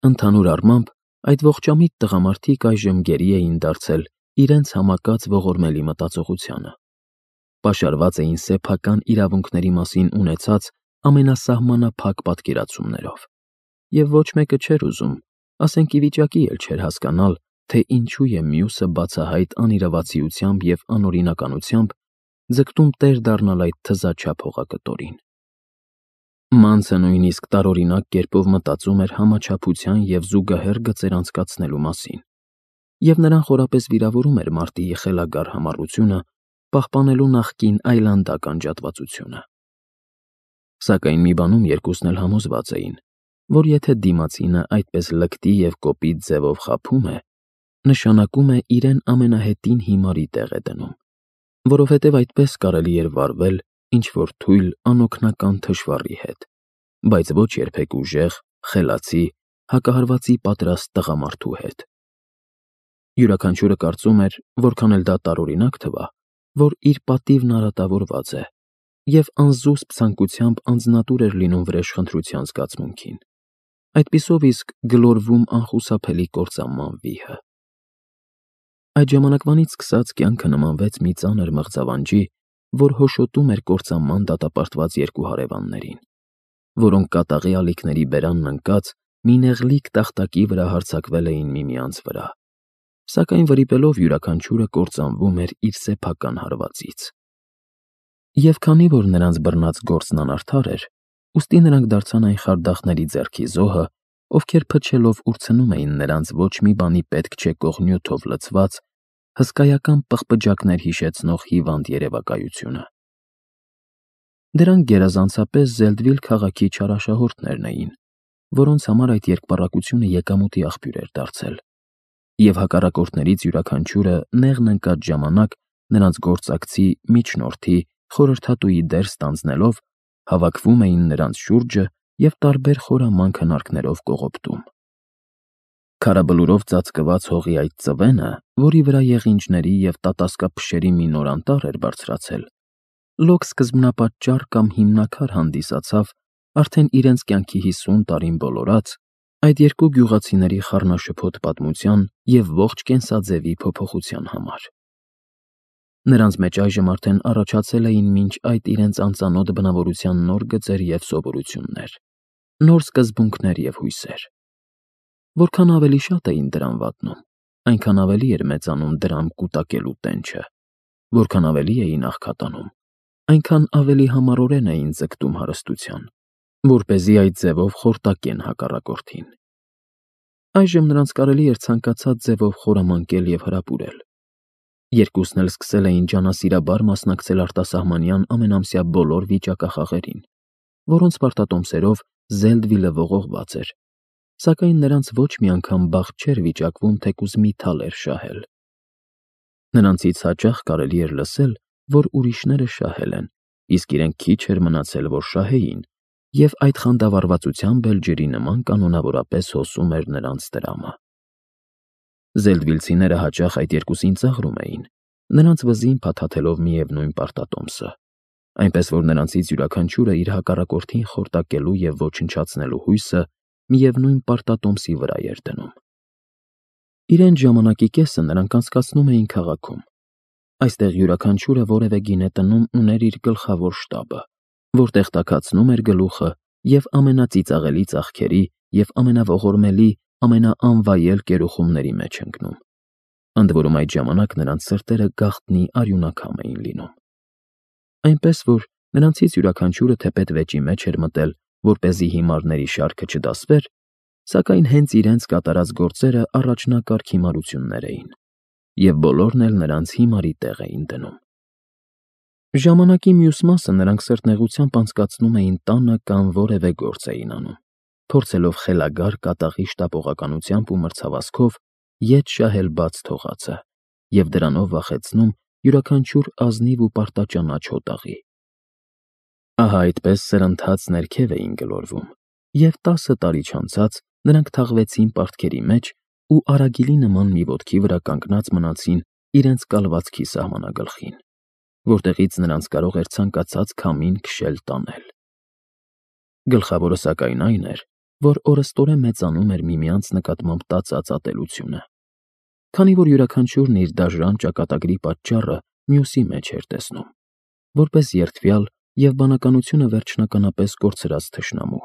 Ընդհանուր առմամբ, այդ ողջամիտ տղամարդիկ այժմ գերի էին դարձել իրենց համակած ողորմելի մտածողությանը. պաշարված էին սեփական իրավունքների մասին ունեցած ամենասահմանափակ պատկերացումներով, և ոչ մեկը չէր ուզում, ասենք ի վիճակի էլ չէր հասկանալ, թե ինչու է մյուսը բացահայտ անիրավացիությամբ և անօրինականությամբ ձգտում տեր դառնալ այդ թզաչափ հողակտորին։ Մանցը նույնիսկ տարօրինակ կերպով մտածում էր համաչափության և զուգահեռ գծեր անցկացնելու մասին, և նրան խորապես վիրավորում էր մարտի խելագար համառությունը, պահպանելու նախկին այլանդակ անջատվածությունը։ Սակայն մի բանում երկուսն էլ համոզված էին, որ եթե դիմացինը այդպես լկտի և կոպիտ ձևով խաբում է, նշանակում է իրեն ամենահետին հիմարի տեղ է դնում, որովհետև այդպես կարելի էր վարվել ինչ-որ թույլ, անօգնական թշվառի հետ, բայց ոչ երբեք ուժեղ, խելացի, հակահարվածի պատրաստ տղամարդու հետ։ Յուրաքանչյուրը կարծում էր, որքան էլ դա տարօրինակ թվա, որ իր պատիվն արատավորված է, և անզուսպ ցանկությամբ անձնատուր էր լինում վրեժխնդրության զգացմունքին, այդպիսով իսկ գլորվում անխուսափելի կործանման վիհը։ Այդ ժամանակվանից սկսած կյանքը նմանվեց մի ծանր մղձավանջի, որ հոշոտում էր կործանման դատապարտված երկու հարևաններին, որոնք կատաղի ալիքների բերանն ընկած մի նեղլիկ տախտակի վրա հարձակվել էին միմյանց վրա, սակայն վրիպելով յուրաքանչյուրը կործանվում էր իր սեփական հարվածից։ Եվ քանի որ նրանց բռնած գործն անարդար էր, ուստի նրանք դարձան այն խարդախների ձեռքի զոհը, ովքեր փչելով ուրցնում էին նրանց ոչ մի բանի պետք չեկող նյութով լցված, հսկայական պղպջակներ հիշեցնող հիվանդ երևակայությունը։ Դրանք գերազանցապես Զելդվիլ քաղաքի չարաշահորդներն էին, որոնց համար այդ երկպառակությունը եկամուտի աղբյուր էր դարձել, և հակառակորդներից յուրաքանչյուրը նեղն ընկած ժամանակ նրանց գործակցի, միջնորդի, խորհրդատուի դեր ստանձնելով, հավաքվում էին նրանց շուրջը և տարբեր խորամանկ հնարքներով կողոպտում։ Քարաբլուրով ծածկված հողի այդ ծվենը, որի վրա եղինջների և տատասկափշերի մի նոր անտառ էր բարձրացել, լոկ սկզբնապատճառ կամ հիմնաքար հանդիսացավ արդեն իրենց կյանքի 50 տարին բոլորած այդ երկու գյուղացիների խառնաշփոթ պատմության և ողջ կենսաձևի փոփոխության համար։ Նրանց մեջ այժմ արդեն առաջացել էին մինչ այդ իրենց անծանոթ բնավորության նոր գծեր և սովորություններ, նոր սկզբունքներ և հույսեր։ Որքան ավելի շատ էին դրան վատնում, այնքան ավելի էր մեծանում դրան կուտակելու տենչը, որքան ավելի էին աղքատանում, այնքան ավելի համառորեն էին ձգտում հարստության, որպեսզի այդ ձևով խորտակեն հակառակորդին։ Այժմ նրանց կարելի էր ցանկացած ձևով խորամանկել և հրապուրել։ Երկուսն էլ սկսել էին ջանասիրաբար մասնակցել արտասահմանյան ամենամսյա բոլոր վիճակախաղերին, որոնց պարտատոմսերով Զելդվիլը ողողված էր, սակայն նրանց ոչ մի անգամ բախտ չէր վիճակվում թեկուզ մի թալեր շահել։ Նրանցից հաճախ կարելի էր լսել, որ ուրիշները շահել են, իսկ իրենք քիչ էր մնացել, որ շահեին, և այդ խանդավառվածությամբ էլ ջրի նման կանոնավորապես հոսում էր նրանց տրամը։ Զելդվիլցիները հաճախ այդ երկուսին ծաղրում էին, նրանց վզին փաթաթելով միևնույն պարտատոմսը, այնպես որ նրանցից յուրաքանչյուրը իր հակառակորդին խորտակելու և ոչնչացնելու հույսը միևնույն պարտատոմսի վրա էր դնում։ Իրենց ժամանակի կեսը նրանք անցկացնում էին քաղաքում։ Այստեղ յուրաքանչյուրը որևէ գինե տնում ուներ իր գլխավոր շտաբը, որտեղ տաքացնում էր գլուխը և ամենածիծաղելի ծախքերի և ամենաողորմելի, ամենաանվայել կերուխումների մեջ ընկնում։ Ընդ որում այդ ժամանակ նրանց սրտերը գաղտնի արյունակամ էին լինում։ Այնպես որ նրանցից յուրաքանչյուրը թեպետ վեճի մեջ էր մտել, որպեսզի հիմարների շարքը չդասվեր, սակայն հենց իրենց կատարած գործերը առաջնակարգ հիմարություններ էին, և բոլորն էլ նրանց հիմարի տեղ էին դնում։ Ժամանակի մյուս մասը նրանք սրտնեղությամբ անցկացնում էին տանը կամ որևէ գործ էին անում, փորձելով խելագար կատաղի շտապողականությամբ ու մրցավազքով ետ շահել բաց թողածը և դրանով վախեցնում յուրաքանչյուր ազնիվ ու պարտաճանաչ հոտաղի։ Ահա այդպես սրընթաց ներքև էին գլորվում, և 10 տարի չանցած նրանք թաղվեցին պարտքերի մեջ ու արագիլի նման մի ոտքի վրա կանգնած մնացին իրենց կալվածքի սահմանագլխին, որտեղից նրանց կարող էր ցանկացած քամին քշել տանել։ Գլխավորը սակայն այն էր, որ օրըստորեն մեծանում էր միմյանց նկատմամբ տածած ատելությունը, քանի որ յուրաքանչյուրն իր դաժան ճակատագրի պատճառը մյուսի մեջ էր տեսնում, որպես երդվյալ և բանականությունը վերջնականապես կորցրած թշնամու,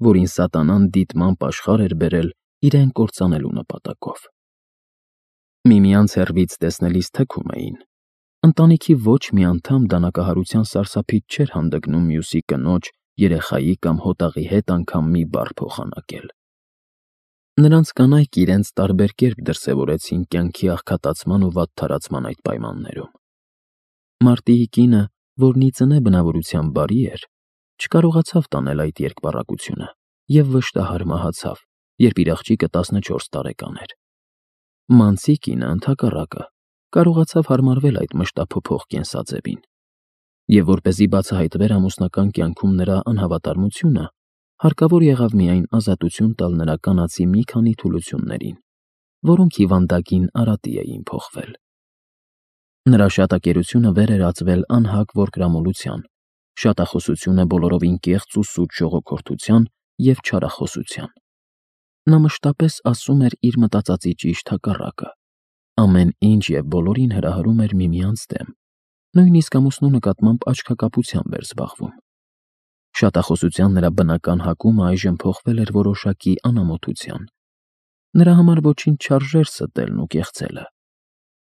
որին սատանան դիտմամբ աշխարհ էր բերել իրեն կործանելու նպատակով։ Միմյանց հեռվից տեսնելիս թքում էին։ Ընտանիքի ոչ մի անդամ դանակահարության սարսափից չէր հանդգնում մյուսի կնոջ, երեխայի կամ հոտաղի հետ անգամ մի բառ փոխանակել։ Նրանց կանայք իրենց տարբեր կերպ դրսևորեցին կյանքի աղքատացման ու վատթարացման այդ պայմաններում։ Մարտիի կինը, որն ի ծնե բնավորությամբ բարի էր, չկարողացավ տանել այդ երկպառակությունը և վշտահար մահացավ, երբ իր աղջիկը 14 տարեկան էր։ Մանցի կինը, ընդհակառակը, կարողացավ հարմարվել այդ մշտափոփող կենսաձևին, և որպեսզի բացահայտվեր ամուսնական կյանքում նրա անհավատարմությունը, հարկավոր եղավ միայն ազատություն տալ նրա կանացի մի քանի թուլություններին, որոնք հիվանդագին արատի էին փոխվել։ Նրա շատակերությունը վեր էր ածվել անհակ որկրամոլության, շատախոսությունը բոլորովին կեղծ ու սուտ ժողոքորթության և չարախոսության։ Նա մշտապես ասում էր իր մտածածի ճիշտ հակառակը, ամեն ինչ և բոլորին հրահրում էր միմյանց դեմ, նույնիսկ ամուսնու նկատմամբ աչքակապությամբ էր զբաղվում։ Շատախոսության նրա բնական հակումը այժմ փոխվել էր որոշակի անամոթության։ Նրա համար ոչինչ չարժեր ստելն ու կեղծելը,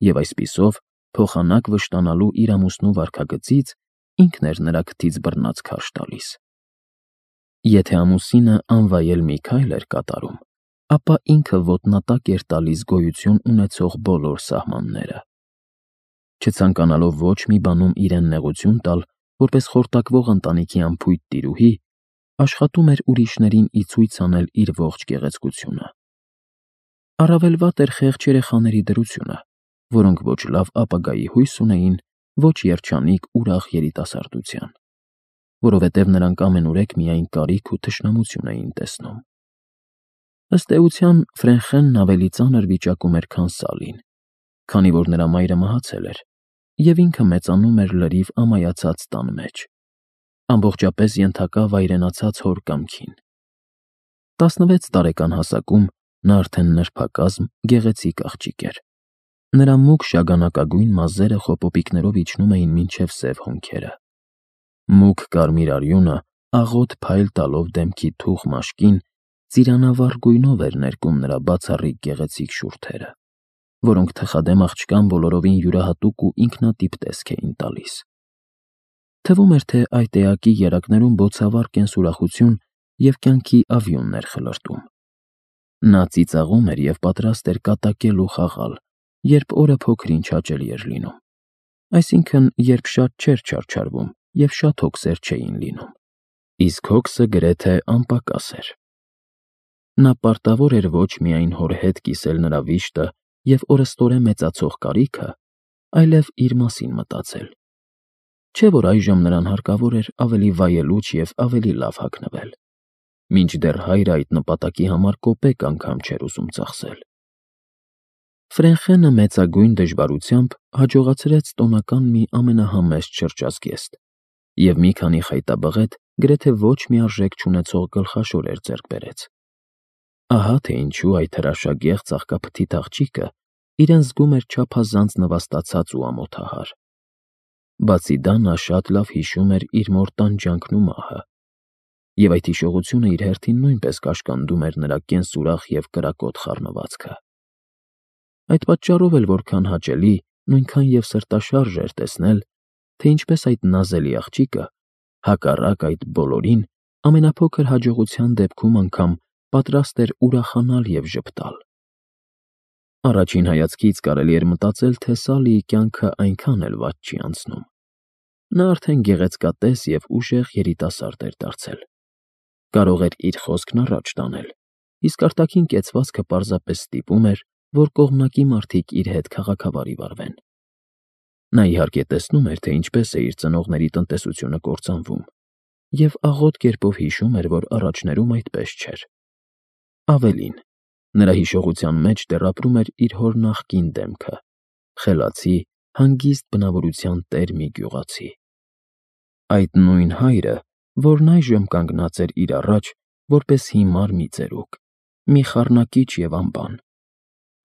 և այսպիսով, փոխանակ վշտանալու իր ամուսնու վարքագծից ինքն էր նրա քթից բռնած քարշ տալիս։ Եթե ամուսինը անվայել մի քայլ էր կատարում, ապա ինքը ոտնատակ էր տալիս գոյություն ունեցող բոլոր սահմանները։ Չցանկանալով ոչ մի բանում իրեն նեղություն տալ, որպես խորտակվող ընտանիքի անփույթ տիրուհի, աշխատում էր ուրիշներին ի ցույց անել իր ողջ գեղեցկությունը։ Առավել վատ էր խեղճ երեխաների դրությունը, որոնք ոչ լավ ապագայի հույս ունեին, ոչ երջանիկ ուրախ երիտասարդության, որովհետև նրանք ամենուրեք միայն կարիք ու թշնամություն էին տեսնում։ Ըստ էության, Ֆրենխենն ավելի ծանր վիճակում էր, քան Սալին, քանի որ նրա մայրը մահացել էր, և ինքը մեծանում էր լրիվ ամայացած տան մեջ, ամբողջապես ենթակա վայրենացած հոր կամքին։ 16 տարեկան հասակում նա արդեն նրբակազմ, գեղեցիկ աղջիկ էր։ Նրա մուգ շագանակագույն մազերը խոպոպիկներով իջնում էին մինչև սև հոնքերը։ Մուգ կարմիր արյունը, աղոտ փայլ տալով դեմքի թուխ մաշկին, ծիրանավառ գույնով էր ներկում նրա բացառիկ գեղեցիկ շուրթերը, որոնք թխադեմ աղջկան բոլորովին յուրահատուկ ու ինքնատիպ տեսք էին տալիս։ Թվում էր, թե այդ էակի երակներում բոցավառ կենսուրախություն և կյանքի ավյունն էր խլրտում։ Նա ծիծաղում էր և պատրաստ էր կատակել ու խաղալ, երբ օրը փոքր-ինչ հաճելի էր լինում, այսինքն, երբ շատ չէր չարչարվում և շատ հոգսեր չէին լինում, իսկ հոգսը գրեթե անպակաս էր։ Նա պարտավոր էր ոչ միայն հոր հետ կիսել նրա վիշտը և օրըստորեն մեծացող կարիքը, այլև իր մասին մտածել։ Չէ՞ որ այժմ նրան հարկավոր էր ավելի վայելուչ և ավելի լավ հագնվել, մինչդեռ հայրը այդ նպատակի համար կոպեկ անգամ չէր ուզում ծախսել։ Ֆրենխենը մեծագույն դժվարությամբ հաջողացրեց տոնական մի ամենահամեստ շրջազգեստ և մի քանի խայտաբղետ գրեթե ոչ մի արժեք չունեցող գլխաշորեր ձեռք բերեց։ Ահա թե ինչու այդ հրաշագեղ ծաղկափթիթ աղջիկը իրեն զգում էր չափազանց նվաստացած ու ամոթահար։ Բացի դա, նա շատ լավ հիշում էր իր մոր տանջանքն ու մահը, և այդ հիշողությունը իր հերթին նույնպես կաշկանդում էր նրա կենսուրախ և կրակոտ խառնվածքը։ Այդ պատճառով էլ որքան հաճելի, նույնքան և սրտաշարժ էր տեսնել, թե ինչպես այդ նազելի աղջիկը, հակառակ այդ բոլորին, ամենափոքր հաջողության դեպքում անգամ պատրաստ էր ուրախանալ և ժպտալ։ Առաջին հայացքից կարելի էր մտածել, թե Սալիի կյանքը այնքան էլ վատ չի անցնում։ Նա արդեն գեղեցկատես և ուժեղ երիտասարդ էր դարձել։ Կարող էր իր խոսքն առաջ տանել, իսկ արտաքին կեցվածքը պարզապես ստիպում էր, որ կողմնակի մարդիկ իր հետ քաղաքավարի վարվեն։ Նա իհարկե տեսնում էր, թե ինչպես է իր ծնողների տնտեսությունը կործանվում, և աղոտ կերպով հիշում էր, որ առաջներում այդպես չէր։ Ավելին, նրա հիշողության մեջ դեռ ապրում էր իր հոր նախկին դեմքը՝ խելացի, հանգիստ բնավորության տեր մի գյուղացի։ Այդ նույն հայրը, որն այժմ կանգնած էր իր առաջ, որպես հիմար մի ծերուկ, մի խառնակիչ և անբան,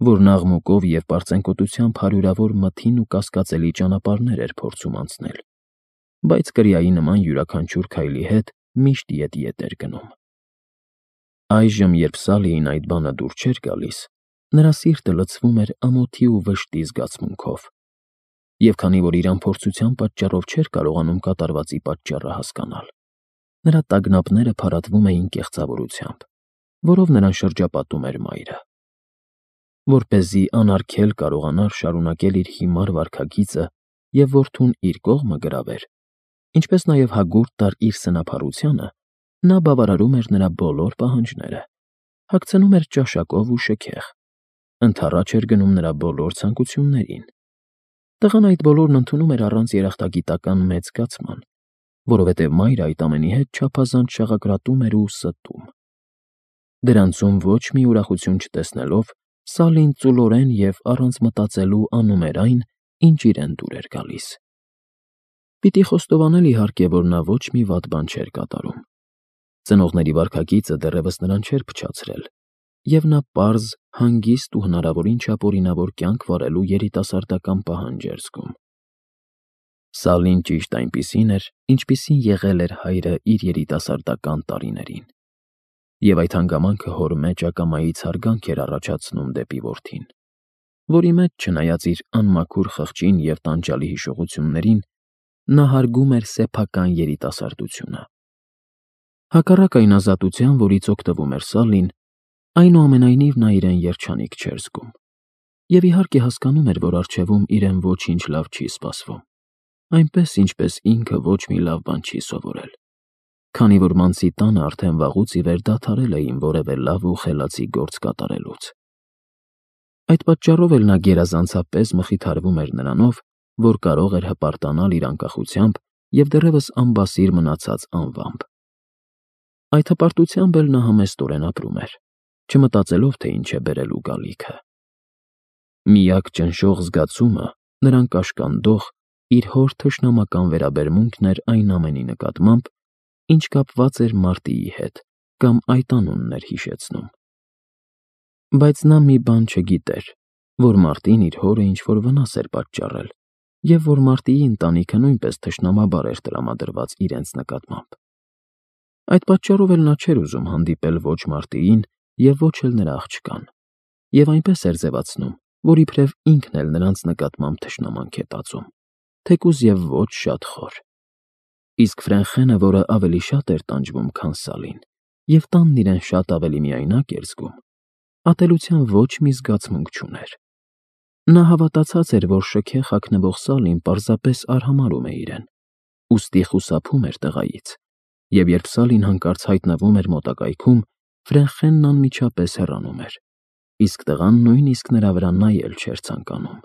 որն աղմուկով և պարծենկոտությամբ հարյուրավոր մթին ու կասկածելի ճանապարհներ էր փորձում անցնել, բայց կրիայի նման յուրաքանչյուր քայլի հետ միշտ ետ էր գնում։ Այժմ, երբ Սալիին այդ բանը դուր չէր գալիս, նրա սիրտը լցվում էր ամոթի ու վշտի զգացմունքով, և քանի որ իր անփորձության պատճառով չէր կարողանում կատարվածի պատճառը հասկանալ, նրա տագնապները փարատվում էին կեղծավորությամբ, որով նրան շրջապատում էր մայրը։ Որպեսզի անարգել կարողանար շարունակել իր հիմար վարքագիծը և որդուն իր կողմը գրավեր, ինչպես նաև հագուրդ տար իր սնափառությանը, նա բավարարում էր նրա բոլոր պահանջները, հագցնում էր ճաշակով ու շքեղ, ընդառաջ էր գնում նրա բոլոր ցանկություններին։ Տղան այդ բոլորն ընդունում էր առանց երախտագիտական մեծ զգացման, որովհետև մայրը այդ ամենի հետ չափազանց շաղակրատում էր ու ստում։ Դրանցում ոչ մի ուրախություն չտեսնելով, Սալին ծուլորեն և առանց մտածելու անում էր այն, ինչ իրեն դուր էր գալիս։ Պիտի խոստովանել, իհարկե, որ նա ոչ մի վատ բան չէր կատարում։ Ծնողների վարքագիծը դեռևս նրան չէր փչացրել, և նա պարզ, հանգիստ ու հնարավորին չափ օրինավոր կյանք վարելու երիտասարդական պահանջ էր զգում։ Սալին ճիշտ այնպիսին էր, ինչպիսին եղել էր հայրը իր երիտասարդական տարիներին, և այդ հանգամանքը հոր մեջ ակամայից հարգանք էր առաջացնում դեպի որդին, որի մեջ, չնայած իր անմաքուր խղճին և տանջալի հիշողություններին, նա հարգում էր սեփական երիտասարդությունը։ Հակառակ այն ազատության, որից օգտվում էր Սալին, այնուամենայնիվ նա իրեն երջանիկ չէր զգում, և իհարկե հասկանում էր, որ առջևում իրեն ոչինչ լավ չի սպասվում, այնպես, ինչպես ինքը ոչ մի լավ բան չի սովորել, քանի որ մանցի տանը արդեն վաղուց ի վեր դադարել էին որևէ լավ ու խելացի գործ կատարելուց։ Այդ պատճառով էլ նա գերազանցապես մխիթարվում էր նրանով, որ կարող էր հպարտանալ իր անկախությամբ և դեռևս անբասիր մնացած անվամբ։ Այդ հպարտությամբ էլ նա համեստորեն ապրում էր, չմտածելով, թե ինչ է բերելու գալիքը։ Միակ ճնշող զգացումը նրան կաշկանդող իր հոր թշնամական վերաբերմունքն էր այն ամենի նկատմամբ, ինչ կապված էր Մարտիի հետ կամ այդ անունն էր հիշեցնում։ Բայց նա մի բան չգիտեր, որ Մարտին իր հորը ինչ-որ վնաս էր պատճառել, և որ Մարտիի ընտանիքը նույնպես թշնամաբար էր տրամադրված իրենց նկատմամբ։ Այդ պատճառով էլ նա չէր ուզում հանդիպել ոչ Մարտիին և ոչ էլ նրա աղջկան, և այնպես էր ձևացնում, որ իբրև ինքն էլ նրանց նկատմամբ թշնամանք է տածում, թեկուզ և ոչ շատ խոր։ Իսկ Ֆրենխենը, որը ավելի շատ էր տանջվում, քան Սալին, և տանն իրեն շատ ավելի միայնակ էր զգում, ատելության ոչ մի զգացմունք չուներ։ Նա հավատացած էր, որ շքեղ հագնվող Սալին պարզապես արհամարհում է իրեն, ուստի խուսափում էր տղայից, և երբ Սալին հանկարծ հայտնվում էր մոտակայքում, Ֆրենխենն անմիջապես հեռանում էր, իսկ տղան նույնիսկ նրա վրա նայել չէր ցանկանում։